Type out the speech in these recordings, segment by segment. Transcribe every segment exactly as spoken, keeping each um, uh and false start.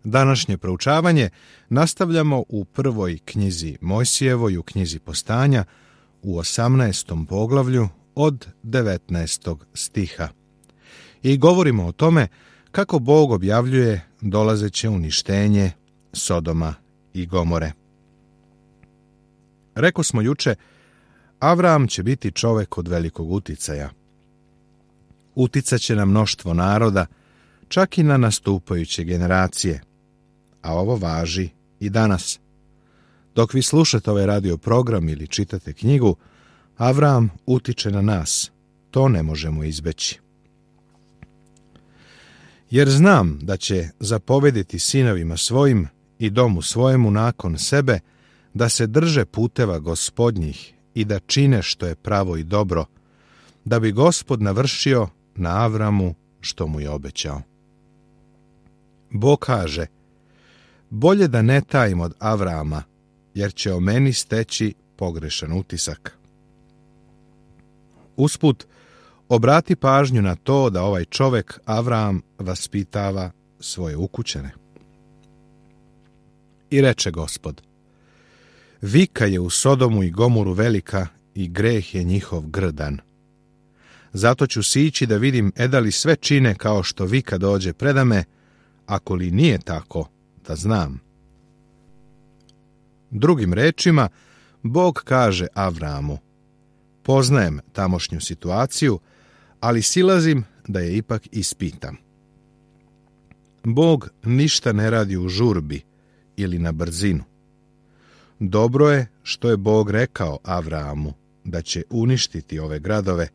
Današnje proučavanje nastavljamo u prvoj knjizi Mojsijevoj, u knjizi Postanja, u osamnaestom poglavlju od devetnaestog stiha. I govorimo o tome kako Bog objavljuje dolazeće uništenje Sodoma i Gomore. Reko smo juče, Avram će biti čovek od velikog uticaja. Uticaće na mnoštvo naroda, čak i na nastupajuće generacije. A ovo važi i danas. Dok vi slušate ovaj radio program ili čitate knjigu, Avram utiče na nas. To ne možemo izbeći. Jer znam da će zapovediti sinovima svojim i domu svojemu nakon sebe da se drže puteva Gospodnjih i da čine što je pravo i dobro, da bi Gospod navršio na Avramu što mu je obećao. Bog kaže, bolje da ne tajim od Avrama, jer će o meni steći pogrešan utisak. Usput, obrati pažnju na to da ovaj čovek Avram vaspitava svoje ukućane. I reče Gospod, vika je u Sodomu i Gomoru velika i greh je njihov grdan. Zato ću sići da vidim eda li sve čine kao što vika dođe predame, ako li nije tako, da znam. Drugim rečima, Bog kaže Avramu, poznajem tamošnju situaciju, ali silazim da je ipak ispitam. Bog ništa ne radi u žurbi ili na brzinu. Dobro je što je Bog rekao Avramu da će uništiti ove gradove,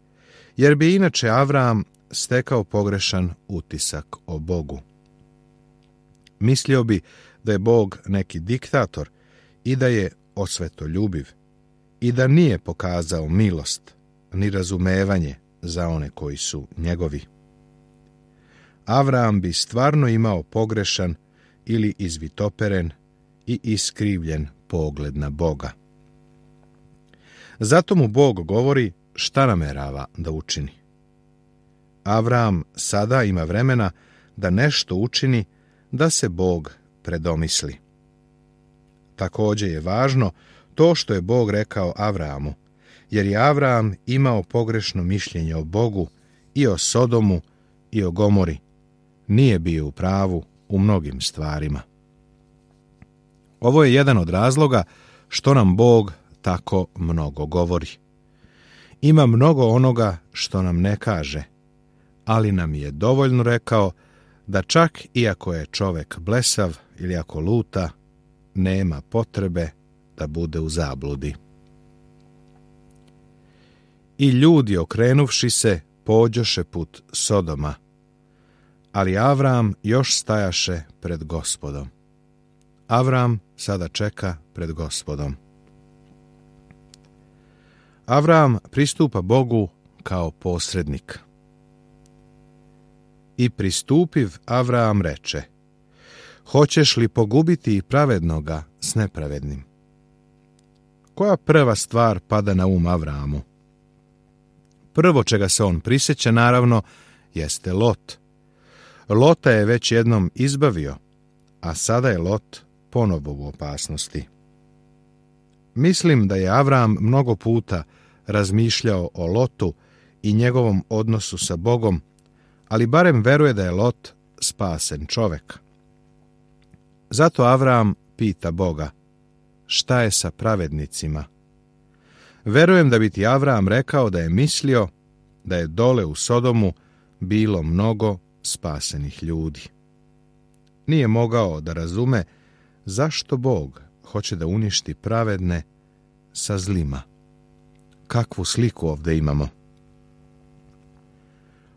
jer bi inače Avram stekao pogrešan utisak o Bogu. Mislio bi da je Bog neki diktator i da je osvetoljubiv i da nije pokazao milost ni razumevanje za one koji su njegovi. Avram bi stvarno imao pogrešan ili izvitoperen i iskrivljen pogled na Boga. Zato mu Bog govori šta namerava da učini. Avram sada ima vremena da nešto učini da se Bog predomisli. Također je važno to što je Bog rekao Avramu, jer je Avram imao pogrešno mišljenje o Bogu i o Sodomu i o Gomori. Nije bio u pravu u mnogim stvarima. Ovo je jedan od razloga što nam Bog tako mnogo govori. Ima mnogo onoga što nam ne kaže, ali nam je dovoljno rekao da čak i ako je čovek blesav ili ako luta, nema potrebe da bude u zabludi. I ljudi okrenuvši se, pođoše put Sodoma, ali Avram još stajaše pred Gospodom. Avram sada čeka pred Gospodom. Avram pristupa Bogu kao posrednik. I pristupiv Avram reče, hoćeš li pogubiti pravednoga s nepravednim? Koja prva stvar pada na um Avramu? Prvo čega se on prisjeća, naravno, jeste Lot. Lota je već jednom izbavio, a sada je Lot ponovo u opasnosti. Mislim da je Avram mnogo puta razmišljao o Lotu i njegovom odnosu sa Bogom, ali barem veruje da je Lot spasen čovek. Zato Avram pita Boga, šta je sa pravednicima? Verujem da bi ti Avram rekao da je mislio da je dole u Sodomu bilo mnogo spasenih ljudi. Nije mogao da razume zašto Bog hoće da uništi pravedne sa zlima. Kakvu sliku ovdje imamo?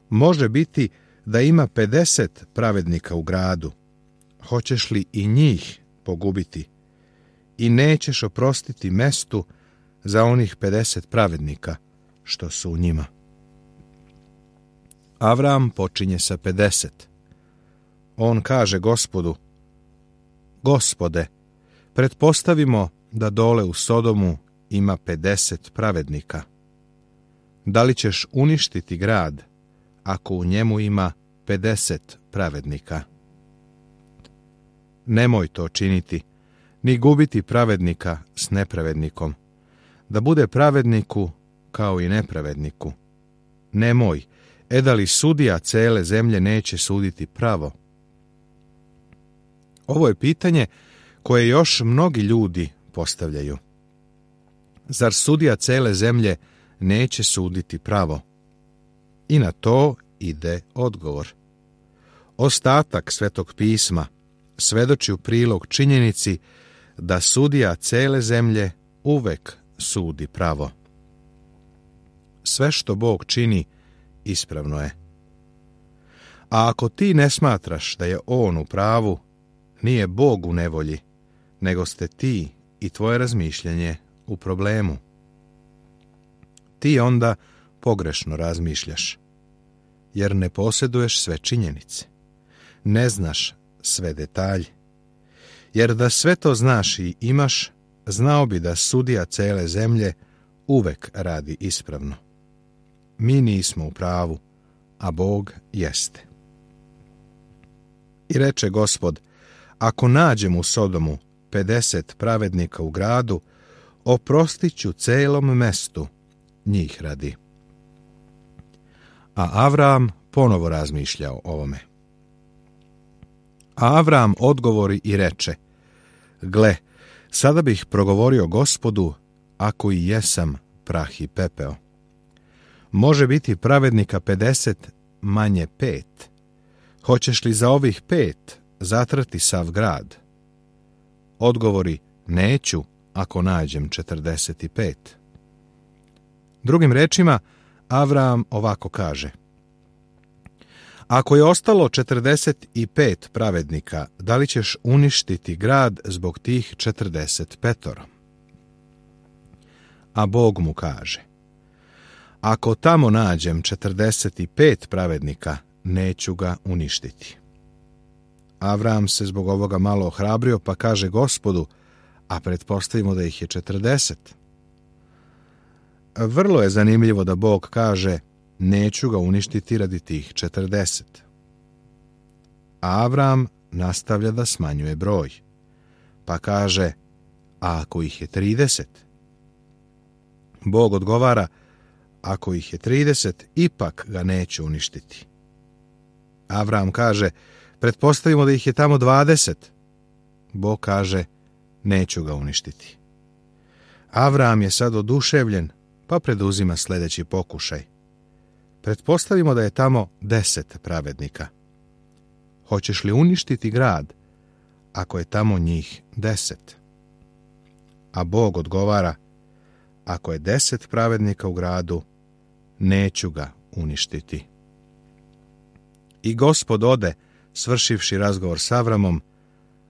Može biti da ima pedeset pravednika u gradu. Hoćeš li i njih pogubiti? I nećeš oprostiti mestu za onih pedeset pravednika što su u njima. Avram počinje sa pedeset. On kaže Gospodu, Gospode, pretpostavimo da dole u Sodomu ima pedeset pravednika. Da li ćeš uništiti grad ako u njemu ima pedeset pravednika? Nemoj to činiti, ni gubiti pravednika s nepravednikom, da bude pravedniku kao i nepravedniku. Nemoj, e da li sudija cele zemlje neće suditi pravo? Ovo je pitanje koje još mnogi ljudi postavljaju. Zar sudija cele zemlje neće suditi pravo? I na to ide odgovor. Ostatak Svetog pisma svedoči u prilog činjenici da sudija cele zemlje uvek sudi pravo. Sve što Bog čini ispravno je. A ako ti ne smatraš da je On u pravu, nije Bog u nevolji, nego ste ti i tvoje razmišljanje u problemu. Ti onda pogrešno razmišljaš, jer ne posjeduješ sve činjenice. Ne znaš sve detalje. Jer da sve to znaš i imaš, znao bi da sudija cele zemlje uvek radi ispravno. Mi nismo u pravu, a Bog jeste. I reče Gospod, ako nađem u Sodomu pedeset pravednika u gradu, oprostit ću celom mestu njih radi. A Avram ponovo razmišlja o ovome. A Avram odgovori i reče, gle, sada bih progovorio Gospodu, ako i jesam prah i pepeo. Može biti pravednika pedeset, manje pet. Hoćeš li za ovih pet zatrati sav grad? Odgovori, neću, ako nađem četrdeset i pet. Drugim rečima, Avram ovako kaže, ako je ostalo četrdeset i pet pravednika, da li ćeš uništiti grad zbog tih četrdeset petoro? A Bog mu kaže, ako tamo nađem četrdeset i pet pravednika, neću ga uništiti. Avram se zbog ovoga malo ohrabrio, pa kaže Gospodu, a pretpostavimo da ih je četrdeset. Vrlo je zanimljivo da Bog kaže, neću ga uništiti radi tih četrdeset. A Avram nastavlja da smanjuje broj, pa kaže, a ako ih je trideset? Bog odgovara, ako ih je trideset, ipak ga neću uništiti. Avram kaže, pretpostavimo da ih je tamo dvadeset. Bog kaže, neću ga uništiti. Avram je sad oduševljen, pa preduzima sljedeći pokušaj. Pretpostavimo da je tamo deset pravednika. Hoćeš li uništiti grad, ako je tamo njih deset? A Bog odgovara, ako je deset pravednika u gradu, neću ga uništiti. I Gospod ode, svršivši razgovor s Avramom,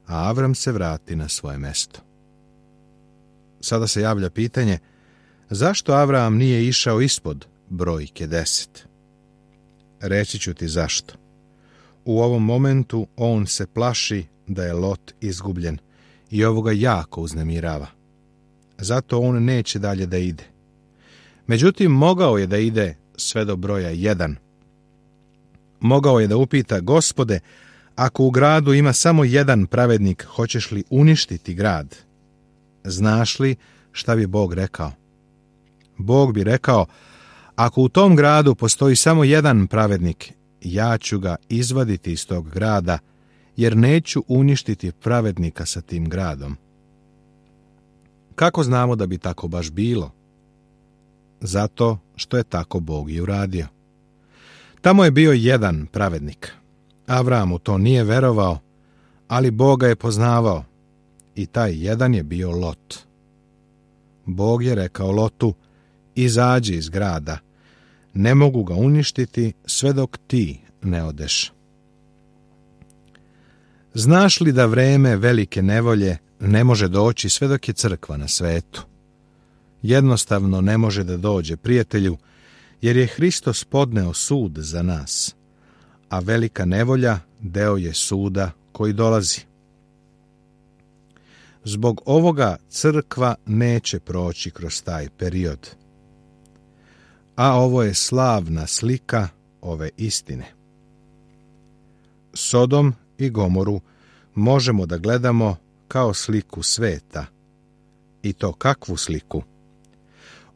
a Avram se vrati na svoje mesto. Sada se javlja pitanje, zašto Avram nije išao ispod brojke deset? Reći ću ti zašto. U ovom momentu on se plaši da je Lot izgubljen i ovo ga jako uznemirava. Zato on neće dalje da ide. Međutim, mogao je da ide sve do broja jedan. Mogao je da upita, Gospode, ako u gradu ima samo jedan pravednik, hoćeš li uništiti grad? Znaš li šta bi Bog rekao? Bog bi rekao, ako u tom gradu postoji samo jedan pravednik, ja ću ga izvaditi iz tog grada, jer neću uništiti pravednika sa tim gradom. Kako znamo da bi tako baš bilo? Zato što je tako Bog i uradio. Tamo je bio jedan pravednik. Avram u to nije verovao, ali Boga je poznavao i taj jedan je bio Lot. Bog je rekao Lotu, izađi iz grada, ne mogu ga uništiti sve dok ti ne odeš. Znaš li da vreme velike nevolje ne može doći sve dok je crkva na svetu? Jednostavno ne može da dođe, prijatelju, jer je Hristos podneo sud za nas, a velika nevolja deo je suda koji dolazi. Zbog ovoga crkva neće proći kroz taj period. A ovo je slavna slika ove istine. Sodom i Gomoru, možemo da gledamo kao sliku sveta. I to kakvu sliku?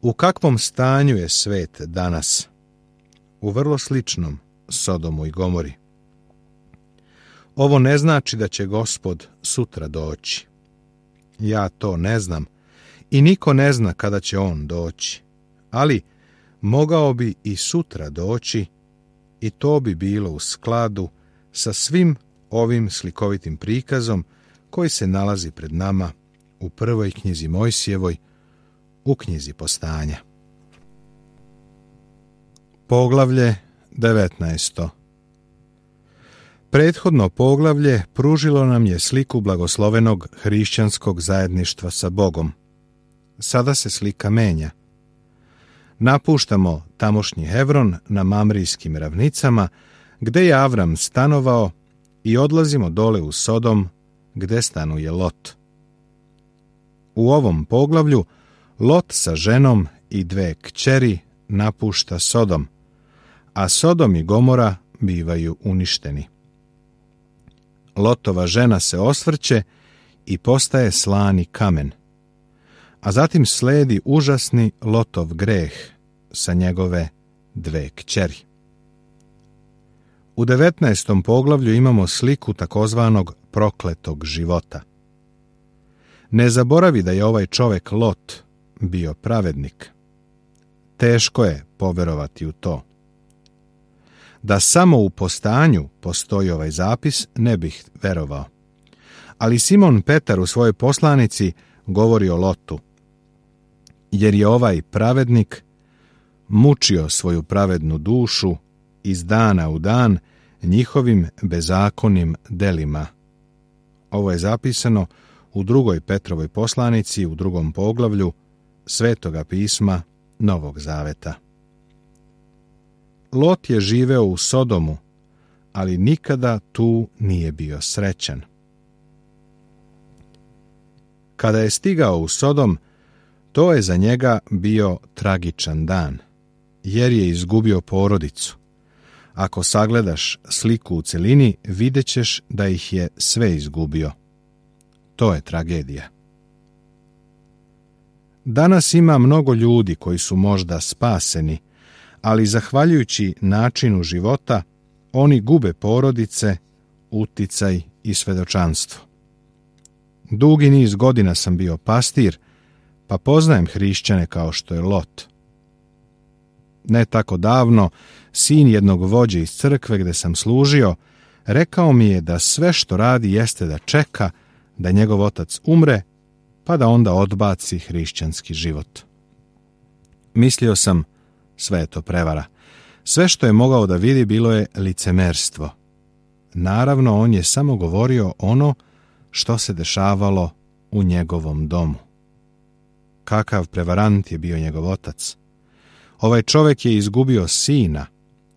U kakvom stanju je svet danas? U vrlo sličnom Sodomu i Gomori. Ovo ne znači da će Gospod sutra doći. Ja to ne znam i niko ne zna kada će on doći, ali mogao bi i sutra doći i to bi bilo u skladu sa svim ovim slikovitim prikazom koji se nalazi pred nama u prvoj knjizi Mojsijevoj, u knjizi Postanja. Poglavlje devetnaesto. Prethodno poglavlje pružilo nam je sliku blagoslovenog hrišćanskog zajedništva sa Bogom. Sada se slika menja. Napuštamo tamošnji Hevron na Mamrijskim ravnicama, gde je Avram stanovao, i odlazimo dole u Sodom, gde stanuje Lot. U ovom poglavlju Lot sa ženom i dve kćeri napušta Sodom, a Sodom i Gomora bivaju uništeni. Lotova žena se osvrće i postaje slani kamen, a zatim sledi užasni Lotov greh sa njegove dve kćeri. U devetnaestom poglavlju imamo sliku takozvanog prokletog života. Ne zaboravi da je ovaj čovek Lot bio pravednik. Teško je poverovati u to. Da samo u Postanju postoji ovaj zapis, ne bih verovao. Ali Simon Petar u svojoj poslanici govori o Lotu, jer je ovaj pravednik mučio svoju pravednu dušu iz dana u dan njihovim bezakonnim delima. Ovo je zapisano u drugoj Petrovoj poslanici, u drugom poglavlju Svetoga pisma Novog Zaveta. Lot je živeo u Sodomu, ali nikada tu nije bio srećan. Kada je stigao u Sodom, to je za njega bio tragičan dan, jer je izgubio porodicu. Ako sagledaš sliku u celini, vidjet ćeš da ih je sve izgubio. To je tragedija. Danas ima mnogo ljudi koji su možda spaseni, ali zahvaljujući načinu života, oni gube porodice, uticaj i svedočanstvo. Dugi niz godina sam bio pastir, pa poznajem hrišćane kao što je Lot. Ne tako davno, sin jednog vođe iz crkve gde sam služio, rekao mi je da sve što radi jeste da čeka da njegov otac umre, pa da onda odbaci hrišćanski život. Mislio sam, sve je to prevara. Sve što je mogao da vidi bilo je licemerstvo. Naravno, on je samo govorio ono što se dešavalo u njegovom domu. Kakav prevarant je bio njegov otac. Ovaj čovjek je izgubio sina,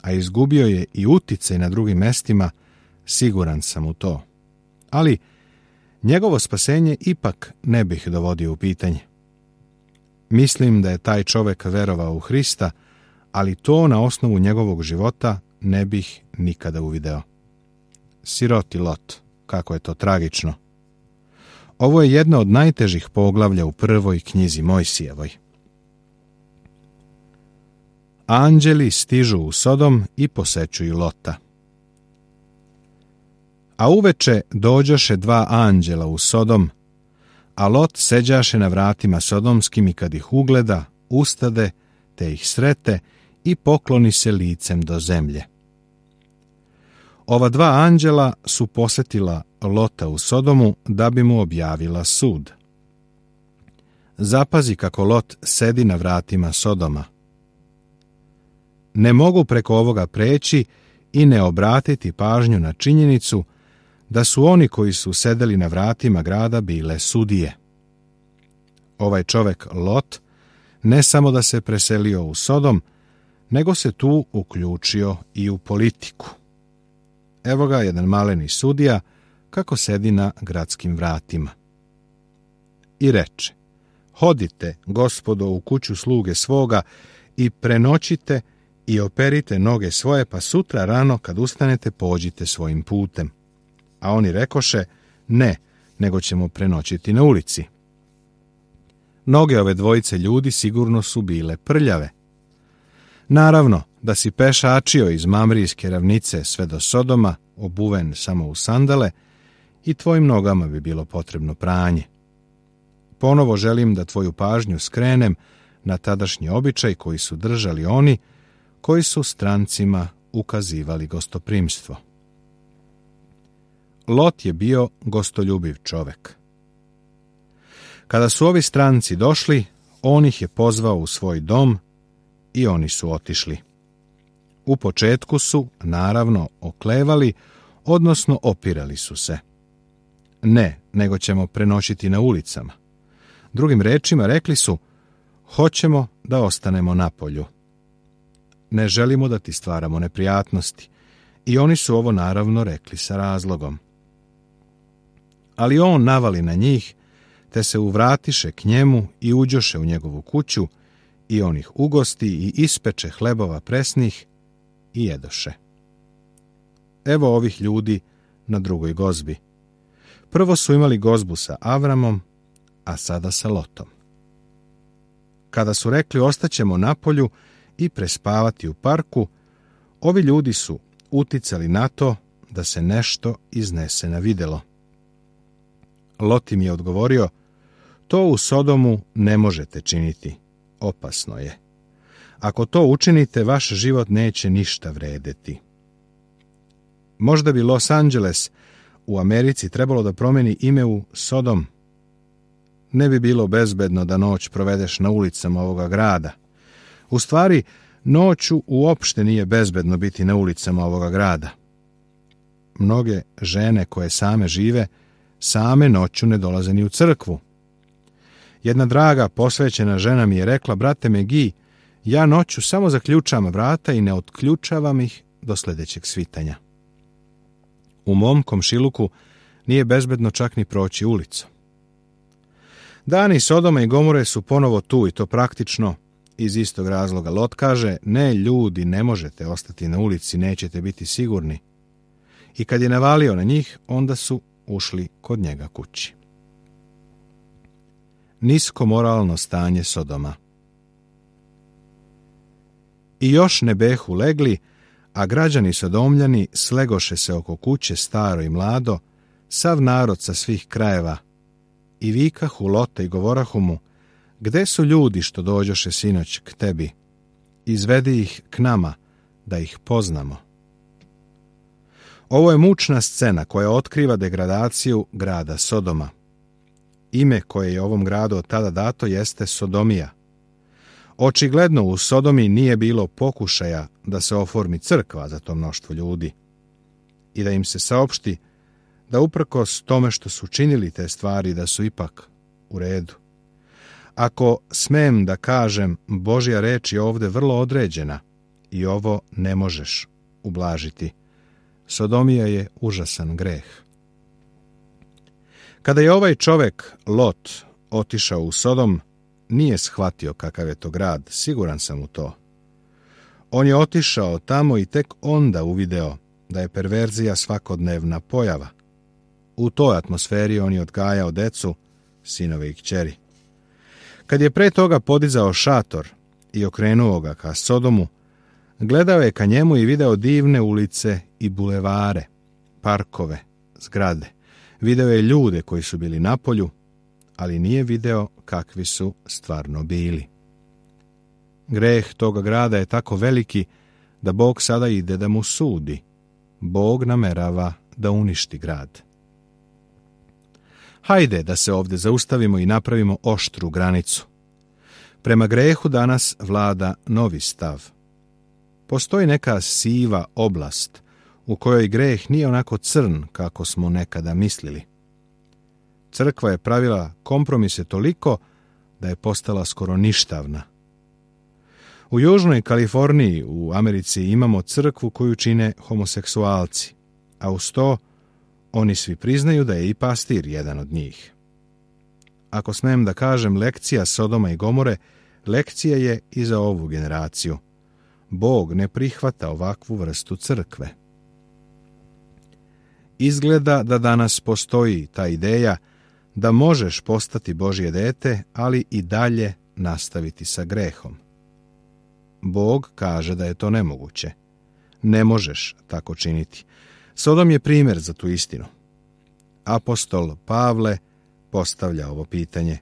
a izgubio je i uticaj na drugim mestima, siguran sam u to. Ali njegovo spasenje ipak ne bih dovodio u pitanje. Mislim da je taj čovjek verovao u Hrista, ali to na osnovu njegovog života ne bih nikada uvideo. Siroti Lot, kako je to tragično. Ovo je jedno od najtežih poglavlja u prvoj knjizi Mojsijevoj. Anđeli stižu u Sodom i posećuju Lota. A uveče dođoše dva anđela u Sodom, a Lot seđaše na vratima sodomskim i kad ih ugleda, ustade, te ih srete i pokloni se licem do zemlje. Ova dva anđela su posetila Lota u Sodomu da bi mu objavila sud. Zapazi kako Lot sedi na vratima Sodoma. Ne mogu preko ovoga preći i ne obratiti pažnju na činjenicu da su oni koji su sedeli na vratima grada bile sudije. Ovaj čovek Lot ne samo da se preselio u Sodom, nego se tu uključio i u politiku. Evo ga jedan maleni sudija kako sedi na gradskim vratima. I reče: hodite, gospodo, u kuću sluge svoga i prenoćite i operite noge svoje, pa sutra rano kad ustanete pođite svojim putem. A oni rekoše: Ne, nego ćemo prenoćiti na ulici. Noge ove dvojice ljudi sigurno su bile prljave. Naravno, da si pešačio iz Mamrijske ravnice sve do Sodoma, obuven samo u sandale, i tvojim nogama bi bilo potrebno pranje. Ponovo želim da tvoju pažnju skrenem na tadašnji običaj koji su držali oni koji su strancima ukazivali gostoprimstvo. Lot je bio gostoljubiv čovek. Kada su ovi stranci došli, on ih je pozvao u svoj dom i oni su otišli. U početku su, naravno, oklevali, odnosno opirali su se. Ne, nego ćemo prenoćiti na ulicama. Drugim rečima rekli su, hoćemo da ostanemo na polju. Ne želimo da ti stvaramo neprijatnosti. I oni su ovo naravno rekli sa razlogom. Ali on navali na njih, te se uvratiše k njemu i uđoše u njegovu kuću, i on ih ugosti i ispeče hlebova presnih i jedoše. Evo ovih ljudi na drugoj gozbi. Prvo su imali gozbu sa Avramom, a sada sa Lotom. Kada su rekli ostaćemo na polju i prespavati u parku, ovi ljudi su uticali na to da se nešto iznese na videlo. Lot im je odgovorio, to u Sodomu ne možete činiti, opasno je. Ako to učinite, vaš život neće ništa vredeti. Možda bi Los Angeles u Americi trebalo da promeni ime u Sodom. Ne bi bilo bezbedno da noć provedeš na ulicama ovoga grada. U stvari, noću uopšte nije bezbedno biti na ulicama ovoga grada. Mnoge žene koje same žive, same noću ne dolaze ni u crkvu. Jedna draga posvećena žena mi je rekla, brate Megi, ja noću samo zaključam vrata i ne otključavam ih do sljedećeg svitanja. U mom komšiluku nije bezbedno čak ni proći ulicu. Dani Sodoma i Gomore su ponovo tu i to praktično iz istog razloga. Lot kaže, ne ljudi, ne možete ostati na ulici, nećete biti sigurni. I kad je navalio na njih, onda su ušli kod njega kući. Nisko moralno stanje Sodoma. I još ne behu legli, a građani Sodomljani slegoše se oko kuće staro i mlado, sav narod sa svih krajeva, i vikahu Lota i govorahu mu, gde su ljudi što dođoše sinoć k tebi? Izvedi ih k nama, da ih poznamo. Ovo je mučna scena koja otkriva degradaciju grada Sodoma. Ime koje je ovom gradu od tada dato jeste Sodomija. Očigledno u Sodomi nije bilo pokušaja da se oformi crkva za to mnoštvo ljudi i da im se saopšti da uprkos tome što su činili te stvari da su ipak u redu. Ako smem da kažem, Božja reč je ovde vrlo određena i ovo ne možeš ublažiti. Sodomija je užasan greh. Kada je ovaj čovek, Lot, otišao u Sodom, nije shvatio kakav je to grad, siguran sam u to. On je otišao tamo i tek onda uvideo da je perverzija svakodnevna pojava. U toj atmosferi on je odgajao decu, sinove i kćeri. Kad je pre toga podizao šator i okrenuo ga ka Sodomu, gledao je ka njemu i video divne ulice i bulevare, parkove, zgrade. Video je ljude koji su bili na polju, ali nije video kakvi su stvarno bili. Greh toga grada je tako veliki da Bog sada ide da mu sudi. Bog namerava da uništi grad. Hajde da se ovdje zaustavimo i napravimo oštru granicu. Prema grehu danas vlada novi stav. Postoji neka siva oblast u kojoj greh nije onako crn kako smo nekada mislili. Crkva je pravila kompromise toliko da je postala skoro ništavna. U Južnoj Kaliforniji u Americi imamo crkvu koju čine homoseksualci, a uz to oni svi priznaju da je i pastir jedan od njih. Ako smem da kažem, lekcija Sodoma i Gomore, lekcija je i za ovu generaciju. Bog ne prihvata ovakvu vrstu crkve. Izgleda da danas postoji ta ideja da možeš postati Božje dete, ali i dalje nastaviti sa grehom. Bog kaže da je to nemoguće. Ne možeš tako činiti. Sodom je primjer za tu istinu. Apostol Pavle postavlja ovo pitanje.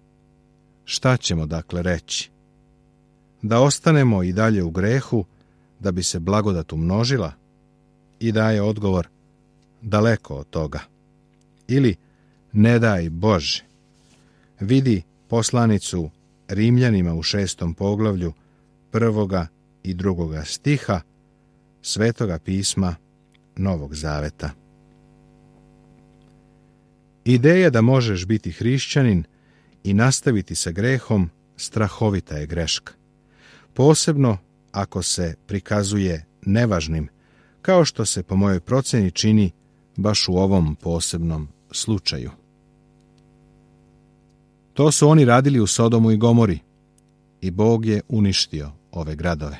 Šta ćemo dakle reći? Da ostanemo i dalje u grehu, da bi se blagodat umnožila? I daje odgovor, daleko od toga. Ili, ne daj Bože. Vidi poslanicu Rimljanima u šestom poglavlju prvoga i drugoga stiha Svetoga pisma Novog Zaveta. Ideja da možeš biti hrišćanin i nastaviti sa grehom strahovita je greška. Posebno ako se prikazuje nevažnim, kao što se po mojoj procjeni čini baš u ovom posebnom slučaju. To su oni radili u Sodomu i Gomori i Bog je uništio ove gradove.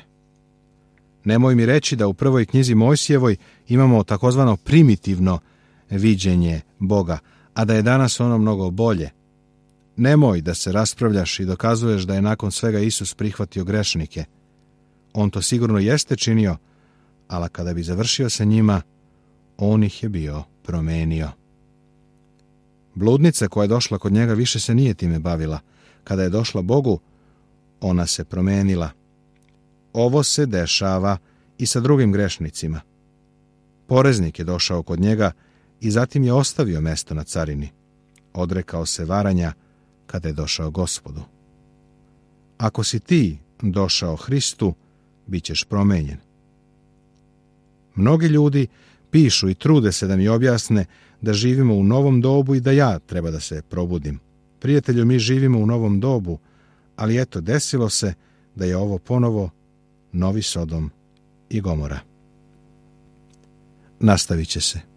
Nemoj mi reći da u prvoj knjizi Mojsijevoj imamo takozvano primitivno viđenje Boga, a da je danas ono mnogo bolje. Nemoj da se raspravljaš i dokazuješ da je nakon svega Isus prihvatio grešnike. On to sigurno jeste činio, ali kada bi završio sa njima, on ih je bio promenio. Bludnica koja je došla kod njega više se nije time bavila. Kada je došla Bogu, ona se promenila. Ovo se dešava i sa drugim grešnicima. Poreznik je došao kod njega i zatim je ostavio mesto na carini. Odrekao se varanja kada je došao Gospodu. Ako si ti došao Hristu, bit ćeš promenjen. Mnogi ljudi pišu i trude se da mi objasne da živimo u novom dobu i da ja treba da se probudim. Prijatelju, mi živimo u novom dobu, ali eto, desilo se da je ovo ponovo novi Sodom i Gomora. Nastavit će se.